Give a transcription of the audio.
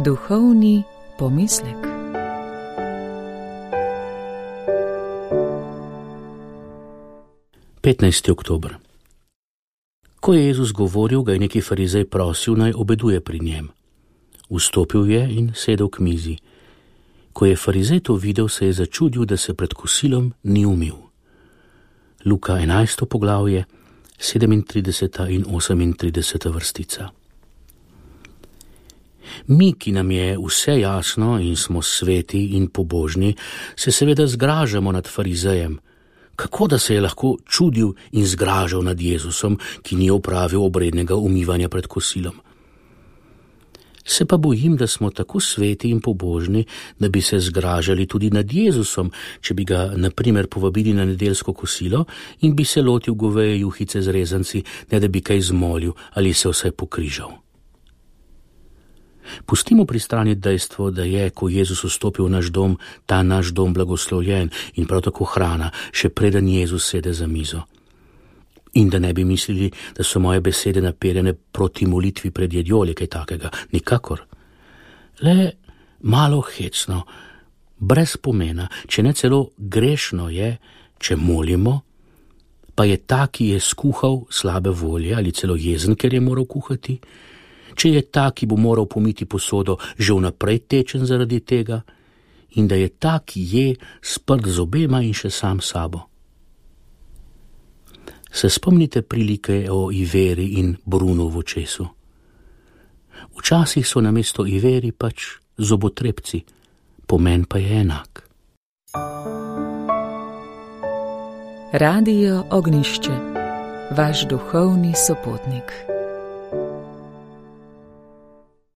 Duhovni pomislek. Oktober. Ko je Jezus govoril, ga je neki farizej prosil, naj obeduje pri njem. Vstopil je in sedel k mizi. Ko je farizej to videl, se je začudil, da se pred kosilom ni umil. Luka 11. poglavje, 37. in 38. vrstica. Mi, ki nam je vse jasno in smo sveti in pobožni, se seveda zgražamo nad farizejem. Kako da se je lahko čudil in zgražal nad Jezusom, ki ni opravil obrednega umivanja pred kosilom? Se pa bojim, da smo tako sveti in pobožni, da bi se zgražali tudi nad Jezusom, če bi ga na primer povabili na nedeljsko kosilo in bi se lotil goveje juhice z rezanci, ne da bi kaj zmolil ali se vsaj pokrižal. Pustimo pri strani dejstvo, da je, ko Jezus vstopil v naš dom, ta naš dom blagoslovljen in prav tako hrana, še preden Jezus sede za mizo. In da ne bi mislili, da so moje besede naperjene proti molitvi pred jedjo ali kaj takega, nikakor. Le malo hecno, brez pomena, če ne celo grešno je, če molimo, pa je ta, ki je skuhal slabe volje ali celo jezen, ker je moral kuhati, če je ta, ki bo moral pomiti posodo, že vnaprej tečen zaradi tega, in da je ta, ki je sprt z obema in še sam sabo. Se spomnite prilike o Iveri in Brunu v očesu? Včasih so namesto Iveri pač zobotrebci, pomen pa je enak. Radio Ognjišče, vaš duhovni sopotnik.